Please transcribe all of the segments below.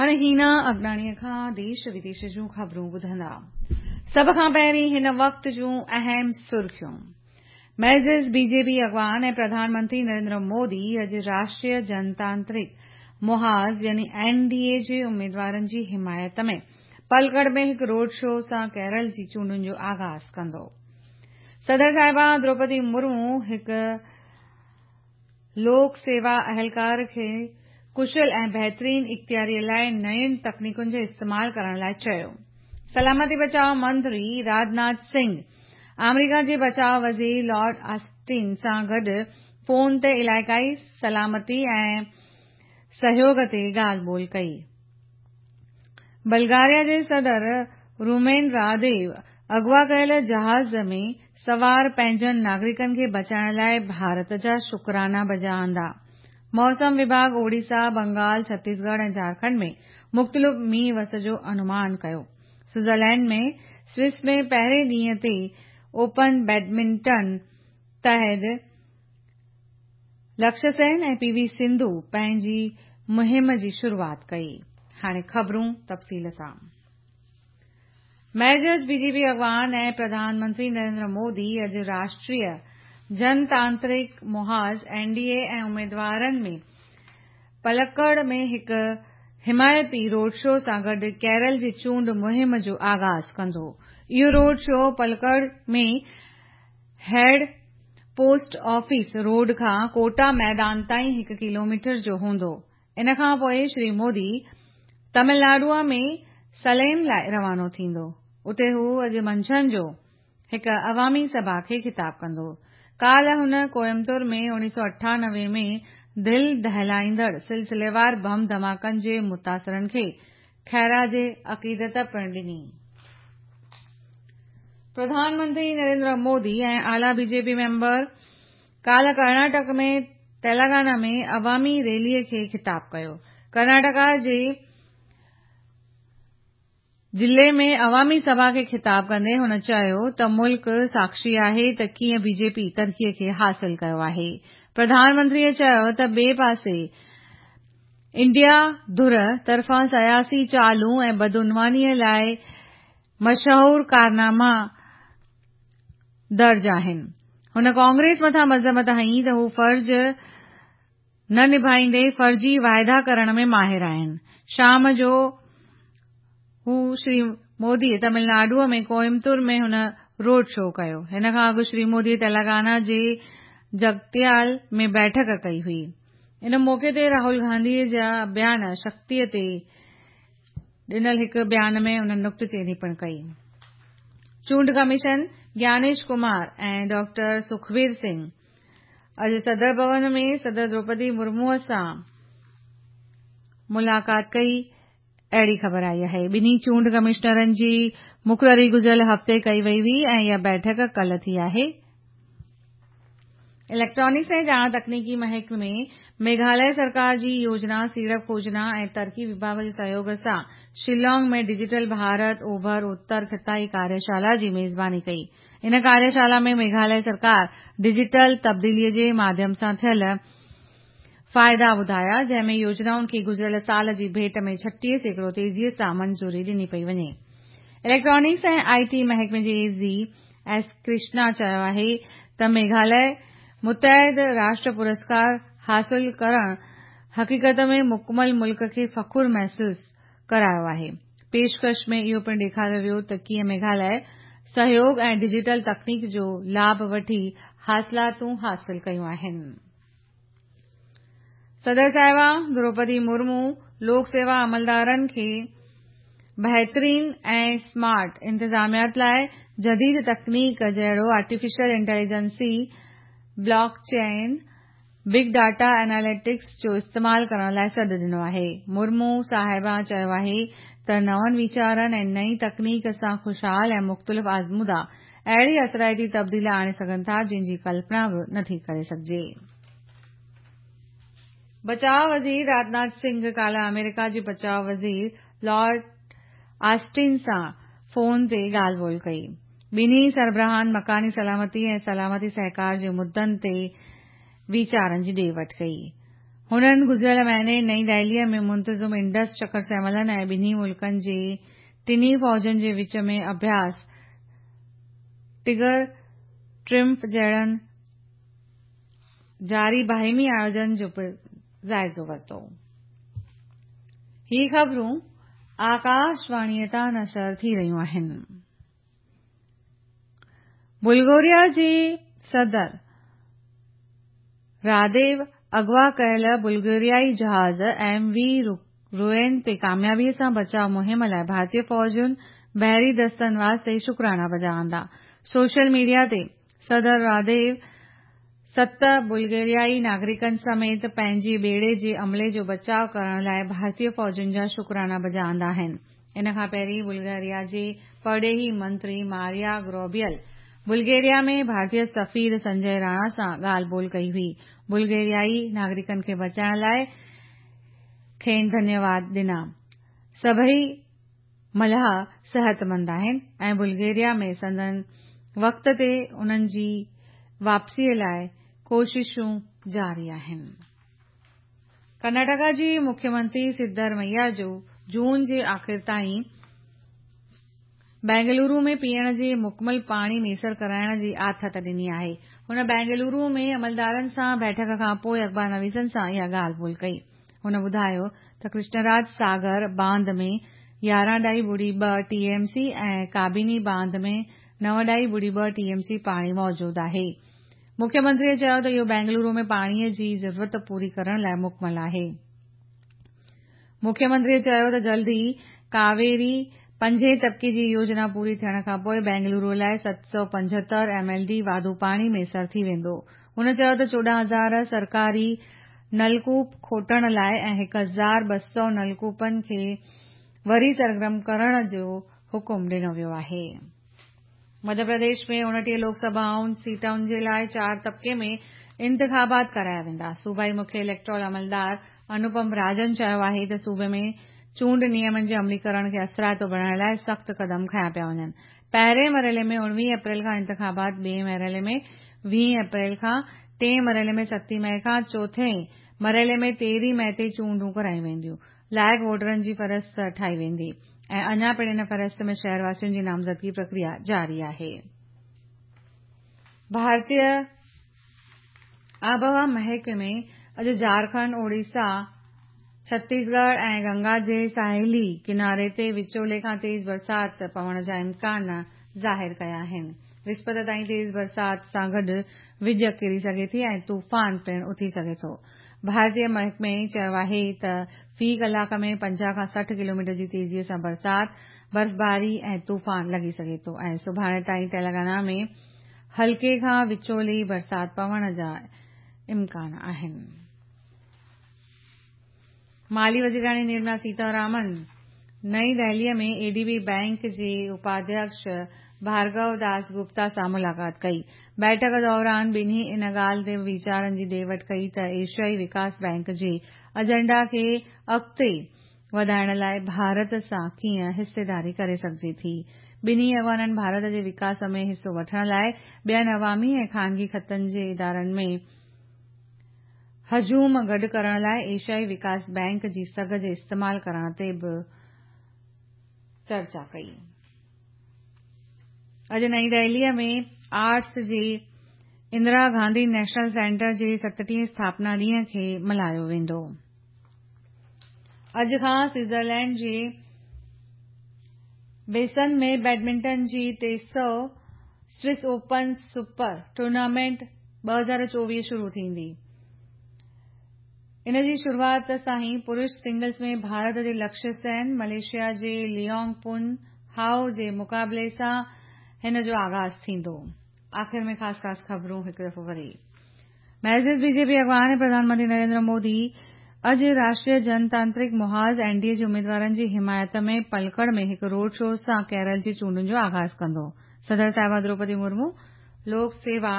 هاڻي هينا اگناڻيء کان ديش وديش جون خبرون ٻڌندا. سڀ کان پهرين هن وقت جون اهم سرخيون. معزز بي جي پي اڳواڻ ۽ پرڌان منتري نريندر مودي اڄ راشٽريه جنتانترڪ محاذ يعني اين ڊي اي جي اميدوارن جي حمايت ۾ پلڪڙ ۾ هڪ روڊ شو سان ڪيرل جي چونڊن جو آغاز ڪندو. صدر صاحبه دروپدي مرمو هڪ لوڪ سيوا اهلڪار کي ڪشل ۽ بهترين اختياري لاء نين تڪنيڪن جو استعمال ڪرڻ لاء چيو. سلامتي بچاء منتري راجناٿ سنگهه آمريڪا جي بچاء وزير لارڊ آسٽن سان گڏ فون تي علائقائي سلامتي ۽ سهيوڳ تي ڳالهه ٻولهه ڪئي. بلغاريا جي صدر رومين راديو اغوا ڪيل جهاز ۾ سوار پنهنجن ناگرڪن کي بچائڻ لاء ڀارت جا شڪرانا بجا آندا. موسم وڀاڳ اوڙيسا، بنگال، ڇتيسڳڙهه ۽ جهارکنڊ ۾ مختلف مينهن وس جو انومان ڪيو. سوئٽزرلينڊ ۾ سوئس ۾ پهرين ڏينهن تي اوپن بيڊمنٽن تحت لڪشيه سين ۽ پي وي سنڌو پنهنجي مهم جي شروعات ڪئي. هاڻي خبرون تفصيل سان. معزز بي جي پي اڳواڻ ۽ پرڌان منتري نريندر مودي اڄ راشٽريه جنتانترڪ محاذ، اين ڊي اي، ۽ اميدوارن ۾ پلڪڙ ۾ هڪ حمايتي روڊ شو سان گڏ ڪيرل جي چونڊ مهم جو آغاز ڪندو. اهو road show Palakkad ۾ head post office road کان ڪوٽا ميدان تائين هڪ ڪلوميٽر جو هوندو. ان کان پوء شري مودي تامل ناڊوء ۾ سليم لاء روانو ٿيندو. اتي هو اڄ منجهند جو هڪ عوامي سڀا کي خطاب ڪندو. ڪالهه هن ڪوئمتور ۾ 1998 ۾ دل دهلائيندڙ سلسليوار بم ڌماڪن جي متاثرن کي خراج عقيدت پڻ ڏني. پرڌان منتري نريندر مودي ۽ اعليٰ بي جي پي ميمبر ڪالهه ڪرناٽڪ ۾ تيلنگانا ۾ عوامي ريلي کي خطاب ڪيو. ڪرناٽڪا جي ضلعي ۾ عوامي سڀا کي خطاب ڪندي هن چيو ته ملڪ ساکشي آهي ته ڪيئن بي جي پي ترقي کي حاصل ڪيو آهي. پرڌان منتري چيو ته ٻئي پاسي انڊيا ڌر طرفان سياسي چالون ۽ بدعنواني لاء مشهور ڪارناما درج آهن. هن ڪانگريس مٿان مذمت هنئي ته هو فرض نه نڀائيندي فرضي واعدا ڪرڻ ۾ ماهر آهن. شام جو هو شري مودي تامل ناڊوء ۾ ڪوئمتور ۾ هن روڊ شو ڪيو. هن کان اڳ شري مودي تيلنگانا جي جگتيال ۾ بيٺڪ ڪئي هئي. ان موقعي تي راهول گانڌي جا بيان شڪتي تي ڏنل هڪ بيان ۾ انهن نڪته چيني پڻ ڪئي. چونڊ ڪميشن گيانيش ڪمار ۽ ڊاڪٽر سکبير سنگهه اڄ صدر ڀون ۾ صدر دروپدي مرموء سان ملاقات ڪئي، اهڙي خبر آئي آهي. ٻنهي چونڊ ڪمشنرن جي مقرري گذريل هفتي ڪئي وئي هئي ۽ اها بيٺڪ ڪلهه ٿي آهي. اليڪٽرانڪس ۽ ڄاڻ تڪنيڪي محڪمي ميگهاليه سرڪار جي يوجنا سيڙپ کوجنا ۽ ترقي وڀاڳ جي سهيوڳ سان شيلانگ ۾ ڊجيٽل ڀارت اوڀر اتر خطائي ڪاريشالا جي ميزباني ڪئي. ان ڪاريشالا ۾ ميگهاليه سرڪار ڊجيٽل تبديلي جي ماڌيم سان ٿيل فائدا ٻڌايا جنهن ۾ يوجنائن کي گذريل سال جي ڀيٽ ۾ 36% تيزي سان منظوري ڏني پئي وڃي. اليڪٽرانڪس ۽ I ٽي محڪمي جي اي زي ايس ڪرشنا چيو آهي ته ميگهاليه متحد راشٽر پرسڪار حاصل ڪرڻ حقيقت ۾ مڪمل ملڪ کي فخر محسوس ڪرايو آهي. پيشڪش ۾ اهو پڻ ڏيکاريو ويو ته ڪيئن ميگهاليه سهيوڳ ۽ ڊجيٽل تڪنيڪ جو لاڀ وٺي حاصلاتون حاصل ڪيون آهن. صدر صاحبه دروپدي مرمو لوڪ سيوا عملدارن کي بهترين ۽ سمارٽ انتظاميات لاء جديد تڪنيڪ جهڙو artificial intelligence, blockchain, big data analytics جو استعمال ڪرڻ لاء سڏ ڏنو آهي. مرمو صاحبه چيو آهي ته نون ويچارن ۽ نئين تڪنيڪ سان خوشحال ۽ مختلف آزمودا اهڙي اثرائتي تبديلي آڻي سگهن ٿا جنهن جي ڪلپنا به نٿي ڪري سگهجي. بچاء وزير راجناٿ سنگهه ڪالهه آمريڪا جي بچاء وزير لارڊ آسٽن سان فون تي ڳالهه ٻولهه ڪئي. ٻنهي سربراهن مڪاني سلامتي ۽ سلامتي سهڪار جي مدن تي ويچارن جي ڏي وٺ ڪئي. هنن گذريل مهيني نئين دهليء ۾ منتظم انڊس شکر سميلن ۽ ٻنهي ملڪن جي ٽنهي فوجن جي وچ ۾ اڀياس ٽائيگر ٽرمف جهڙن جاري باهمي آيوجن جو پڻ جائزو ورتو. هي خبرون آڪاشواڻيء تان نشر ٿي رهيون آهن. بلغاريا جي صدر راديو اغوا ڪيل بلغاريائي جهاز ايم وي روين تي ڪاميابي سان بچاء مهم لاء ڀارتي فوجن بحري دستن واسطي شڪرانا بجا آندا. سوشل ميڊيا تي صدر راديو 7 بلغاريائي ناگرڪن سميت پنهنجي ٻيڙي جي عملي جو بچاء ڪرڻ لاء ڀارتي فوجن جا شڪرانا بجا آندا آهن. ان کان پهرين بلغاريا جي پرڏيهي منتري ماريا گروبيل بلغاريا ۾ ڀارتي سفير سنجي راڻا سان ڳالهه ٻولهه ڪئي هئي. بلغاريائي ناگرڪن کي بچائڻ لاء کين ڌنيواد ڏنا. سڀئي ملاح صحتمند آهن ۽ بلغاريا ۾ سندن وقت تي انهن جي واپسيء لاء ڪوششون جاري آهن. ڪرناٽڪا جي مکيه منتري سڌرميا جون جي آخر تائين بينگلورو ۾ پيئڻ جي مڪمل پاڻي ميسر ڪرائڻ جي آٿت ڏني آهي. هن بينگلورو ۾ عملدارن سان بيٺڪ کان پوء اخبار نويسن سان اها ڳالهه ٻولهه ڪئي. هن ٻڌايو ته ڪرشنراج ساگر باند ۾ 11.2 T M C ۽ ڪابيني باند ۾ 9.2 T M C پاڻي موجود آهي. مکيه منتريء چيو ته اهو بينگلورو ۾ پاڻي جي ضرورت پوري ڪرڻ لاء مڪمل آهي. مکيه منتريء چيو ته جلد ئي ڪاويري پنجين طبقي جي يوجنا پوري ٿيڻ کانپوء بينگلورو لاء 775 ايم ايل ڊي واڌو پاڻي ميسر ٿي ويندو. هن چيو ته 14,000 سرڪاري نلڪوپ کوٽڻ لاء ۽ 1,200 نلڪوپن کي وري سرگرم ڪرڻ جو حڪم ڏنو ويو آهي. مڌيه پرديش ۾ 29 لوڪ سڀا سيٽن جي لاء 4 طبقي ۾ انتخابات ڪرايا ويندا. صوبائي مکيه اليڪٽورل عملدار انوپم راجن چيو آهي ته صوبي ۾ چونڊ نيمن جي عمليڪرڻ کي اثرائتو بڻائڻ لاء سخت قدم کنيا پيا وڃن. پهرين مرحلي ۾ 19 اپريل کان انتخابات، ٻئين مرحلي ۾ 20 اپريل کان، ٽئين مرحلي ۾ 7 مئي کان، چوٿين مرحلي ۾ 13 مئي تي چونڊون ڪرايون وينديون. لائق ووٽرن جي فهرست ٺاهي ويندي ۽ اڃا پڻ ان فهرست ۾ شهرواسين جي نامزدگي پرڪريا جاري آهي. ڀارتي آبهوا محڪمي اڄ جهارکنڊ، اوڙيسا، ڇتيسڳڙهه ۽ گنگا جي ساحلي ڪناري تي وچولي کان تيز برسات پوڻ جا امڪان ظاهر ڪيا آهن. وسپت تائين تيز برسات سان گڏ وڄ ڪري سگهي ٿي ۽ طوفان پڻ اٿي سگهي ٿو. ڀارتي محڪمي چيو آهي ته في ڪلاڪ ۾ 50 کان 60 ڪلوميٽر جي تيزي سان برسات، برفباري ۽ طوفان لڳي سگهي ٿو ۽ سڀاڻي تائين تيلنگانا ۾ هلڪي کان وچولي برسات پوڻ جا امڪان آهن. مالي وزيراڻي نرملا سيتارامن نئين دهليء ۾ اي ڊي بي بئنڪ جي اپاڌيڪش ڀارگو داس گپتا سان ملاقات ڪئي. بيٺڪ دوران ٻنهي ان ڳالهه تي ويچارن جي ڏي وٺ ڪئي ته ايشيائي وڪاس بئنڪ جي ايجنڊا کي اڳتي وڌائڻ لاء ڀارت سان ڪيئن حصيداري ڪري سگهجي ٿي. ٻنهي اڳواڻن ڀارت جي وڪاس ۾ حصو وٺڻ لاء ٻين عوامي ۽ خانگي کاتن جي ادارن ۾ هجوم گڏ ڪرڻ لاء ايشيائي وڪاس بئنڪ جي سگهه جي استعمال ڪرڻ تي به چرچا ڪئي. اڄ نئين دهليء ۾ آرٽس جي اندرا گانڌي نيشنل سينٽر جي 37 اسٿاپنا ڏينهن کي ملهايو ويندو. اڄ کان سوئٽزرلينڊ جي بيسن ۾ بيڊمنٽن جي 300 سوئس اوپن سپر ٽورنامينٽ 2024 شروع ٿيندي. ان جي شروعات سان ئي پرش سنگلز ۾ ڀارت جي لڪشيه سين ملائيشيا جي ليونگ پن هائو جي مقابلي سان هن جو آغاز ٿيندو. آخر ۾ خاص خاص خبرون هڪ دفعو وري. معزز بي جي پي اڳواڻ ۽ پرڌان منتري نريندر مودي اڄ راشٽريه جنتانترڪ محاذ اين ڊي اي جي اميدوارن جي حمايت ۾ پلڪڙ ۾ هڪ روڊ شو سان ڪيرل جي چونڊن جو آغاز ڪندو. صدر صاحبه دروپدي مرمو لوڪ سيوا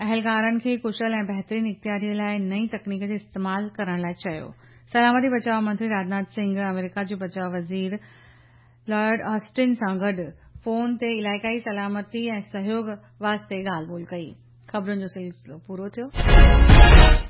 اهلڪارن کي ڪشل ۽ بهترين اختياري لاء نئين تڪنيڪ جي استعمال ڪرڻ لاء چيو. سلامتي بچاء منتري راجناٿ سنگهه آمريڪا جي بچاء وزير لائيڊ آسٽن سان گڏ فون تي علائقائي سلامتي ۽ سهيوڳ واسطي ڳالهه ٻولهه ڪئي. خبرن جو سلسلو پورو ٿيو.